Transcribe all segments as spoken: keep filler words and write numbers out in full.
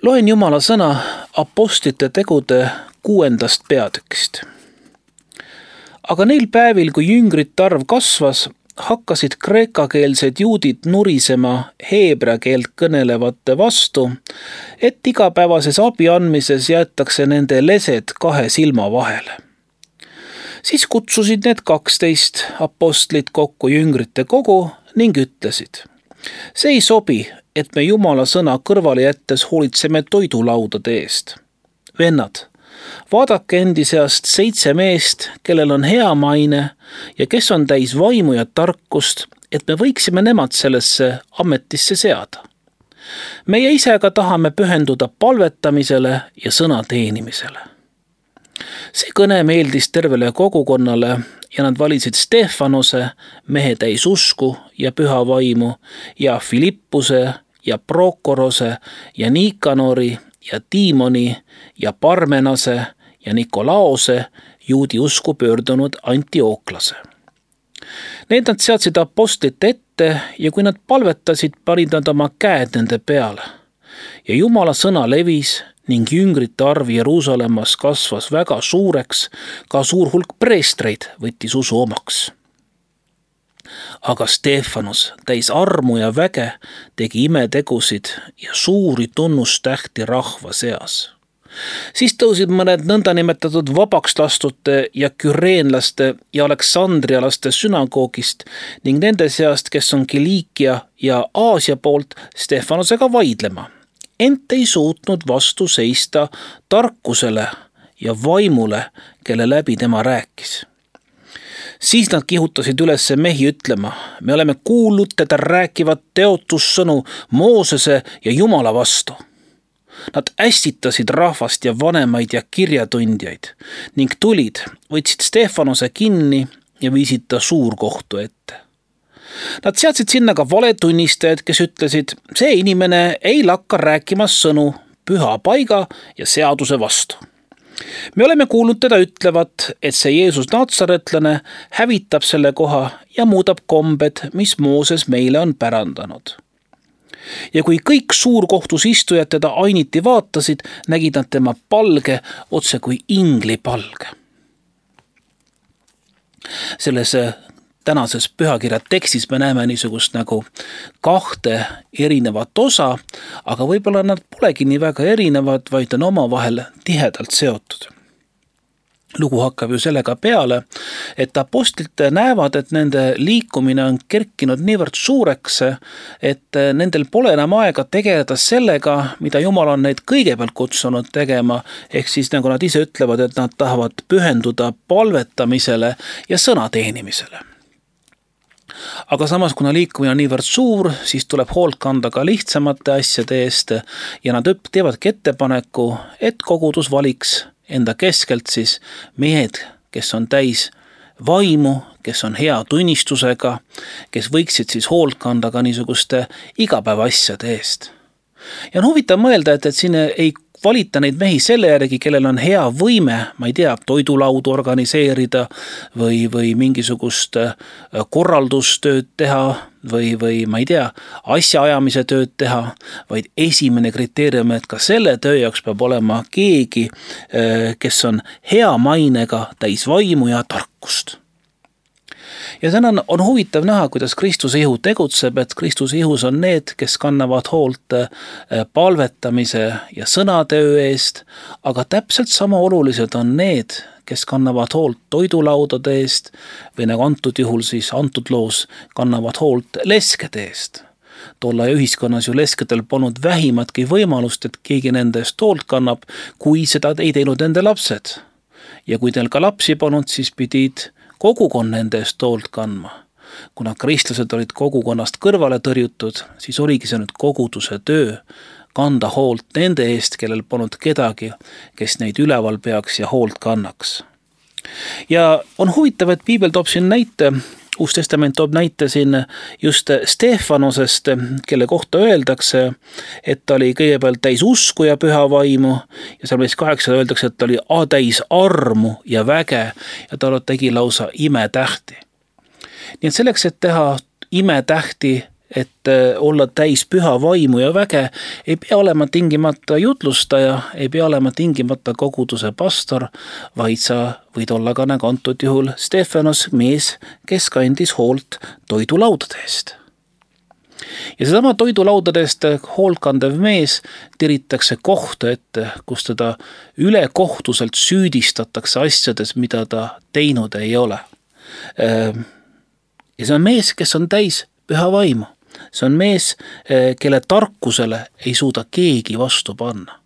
Loen Jumala sõna apostlite tegude kuuendast peatükist. Aga neil päevil, kui jüngrite arv kasvas, hakkasid kreekakeelsed juudid nurisema heebrea keelt kõnelevate vastu, et igapäevases abi andmises jäetakse nende lesed kahe silma vahele. Siis kutsusid need kaksteist apostlit kokku jüngrite kogu ning ütlesid: see ei sobi, et me Jumala sõna kõrvale jättes hoolitseme toidulaudade eest. Vennad, vaadake endi seast seitse meest, kellel on hea maine ja kes on täis vaimu ja tarkust, et me võiksime nemad sellesse ametisse seada. Meie ise aga tahame pühenduda palvetamisele ja sõna teenimisele. See kõne meeldis tervele kogukonnale ja nad valisid Stefanose, mehe täis usku ja püha vaimu, ja Filippuse ja Prokorose ja Nikanori ja Tiimoni ja Parmenase ja Nikolaose, juudi usku pöördunud Antiooklase. Need nad seadsid apostlite ette ja kui nad palvetasid, panid nad oma käed nende peale. Ja Jumala sõna levis ning jüngrite arv Jeruusalemmas kasvas väga suureks, ka suur hulk preestreid võttis usu omaks. Aga Stefanus täis armu ja väge tegi imetegusid ja suuri tunnustähti rahva seas. Siis tõusid mõned nõndanimetatud vabaks lastute ja küreenlaste ja aleksandrialaste sünagoogist ning nende seast, kes on Kiliikia ja Aasia poolt, Stefanusega vaidlema, ent ei suutnud vastu seista tarkusele ja vaimule, kelle läbi tema rääkis. Siis nad kihutasid üles mehi ütlema: me oleme kuulnud teda rääkivat teotussõnu Moosese ja Jumala vastu. Nad ässitasid rahvast ja vanemaid ja kirjatundjaid ning tulid, võtsid Stefanuse kinni ja viisid ta suurkohtu ette. Nad seadsid sinna ka valetunnistajad, kes ütlesid: see inimene ei lakka rääkimas sõnu püha paiga ja seaduse vastu. Me oleme kuulnud teda ütlevat, et see Jeesus Natsaretlane hävitab selle koha ja muudab kombed, mis Mooses meile on pärandanud. Ja kui kõik suurkohtus istujad teda ainiti vaatasid, nägid nad tema palge otse kui ingli palge. Selles tänases pühakirja tekstis me näeme niisugust nagu kahte erinevat osa, aga võib-olla nad polegi nii väga erinevad, vaid on omavahel tihedalt seotud. Lugu hakkab ju sellega peale, et apostlid näevad, et nende liikumine on kerkinud niivõrd suureks, et nendel pole enam aega tegeleda sellega, mida Jumal on neid kõigepealt kutsunud tegema, ehk siis nagu nad ise ütlevad, et nad tahavad pühenduda palvetamisele ja sõna teenimisele. Aga samas, kuna liikumine on niivõrd suur, siis tuleb hoolt kanda ka lihtsamate asjade eest ja nad teevadki ettepaneku, et kogudus valiks enda keskelt siis mehed, kes on täis vaimu, kes on hea tunnistusega, kes võiksid siis hoolt kanda ka niisuguste igapäeva asjade eest. Ja on huvitav mõelda, et, et siin ei valita neid mehi selle järgi, kellel on hea võime, ma ei tea, toidulaudu organiseerida või, või mingisugust korraldustööd teha või, või ma ei tea, asjaajamise tööd teha, vaid esimene kriteerium, et ka selle töö jaoks peab olema keegi, kes on hea mainega, täis vaimu ja tarkust. Ja täna on, on huvitav näha, kuidas Kristuse ihu tegutseb, et Kristuse ihus on need, kes kannavad hoolt palvetamise ja sõnatöö eest, aga täpselt sama olulised on need, kes kannavad hoolt toidulaudade eest või nagu antud juhul siis antud loos kannavad hoolt leskede eest. Tolla ühiskonnas ju leskedel polnud vähimatki võimalust, et keegi nende eest hoolt kannab, kui seda ei teinud nende lapsed. Ja kui teil ka lapsi polnud, siis pidid kogukond nende eest hoolt kandma. Kuna kristlased olid kogukonnast kõrvale tõrjutud, siis oligi see nüüd koguduse töö kanda hoolt nende eest, kellel polnud kedagi, kes neid üleval peaks ja hoolt kannaks. Ja on huvitav, et Piibel toob siin näite, Uus Testament toob näite siin just Stefanusest, kelle kohta öeldakse, et ta oli kõigepealt täis usku ja püha vaimu ja seal meist kaheksa öeldakse, et ta oli täis armu ja väge ja ta tegi lausa imetähti. Nii et selleks, et teha imetähti et olla täis püha vaimu ja väge, ei pea olema tingimata jutlustaja, ei pea olema tingimata koguduse pastor, vaid sa võid olla ka nagu antud juhul Stefanos mees, kes kandis hoolt toidulaudade eest. Ja sedama toidulaudadest hoolt kandev mees tiritakse kohta ette, kus teda ülekohtuselt süüdistatakse asjades, mida ta teinud ei ole. Ja see on mees, kes on täis püha vaimu. See on mees, kelle tarkusele ei suuda keegi vastu panna.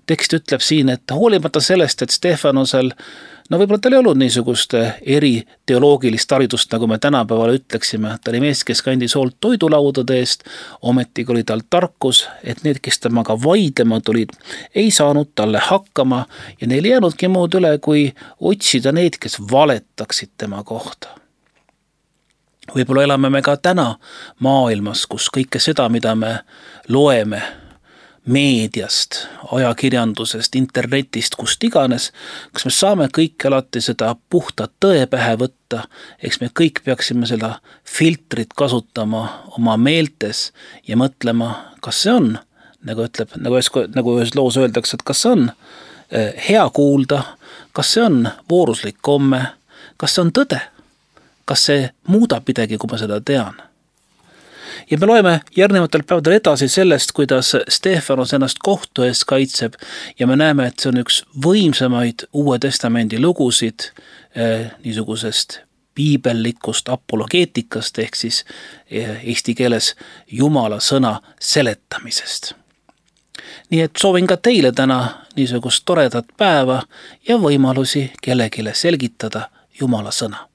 Tekst ütleb siin, et hoolimata sellest, et Stefanosel, no võib-olla tal ei olnud niisugust eri teoloogilist haridust, nagu me tänapäeval ütleksime, ta oli mees, kes kandis hoolt toidulaudade eest, ometigi oli tal tarkus, et need, kes temaga vaidlema tulid, ei saanud talle hakkama ja neil ei jäänudki muud üle, kui otsida neid, kes valetaksid tema kohta. Võib-olla elame me ka täna maailmas, kus kõike seda, mida me loeme meediast, ajakirjandusest, internetist, kust iganes, kas me saame kõik alati seda puhta tõe pähe võtta, eks me kõik peaksime seda filtrit kasutama oma meeltes ja mõtlema, kas see on, nagu ütleb, nagu ühes, nagu ühes loos öeldakse, et kas see on hea kuulda, kas see on vooruslik komme, kas see on tõde, kas see muudab midagi, kui ma seda tean. Ja me loeme järgnevatel päevadel edasi sellest, kuidas Stefanos ennast kohtu ees kaitseb ja me näeme, et see on üks võimsamaid Uue Testamendi lugusid eh, niisugusest piibellikust apologeetikast ehk siis eh, eesti keeles Jumala sõna seletamisest. Nii et soovin ka teile täna niisugust toredat päeva ja võimalusi kellegile selgitada Jumala sõna.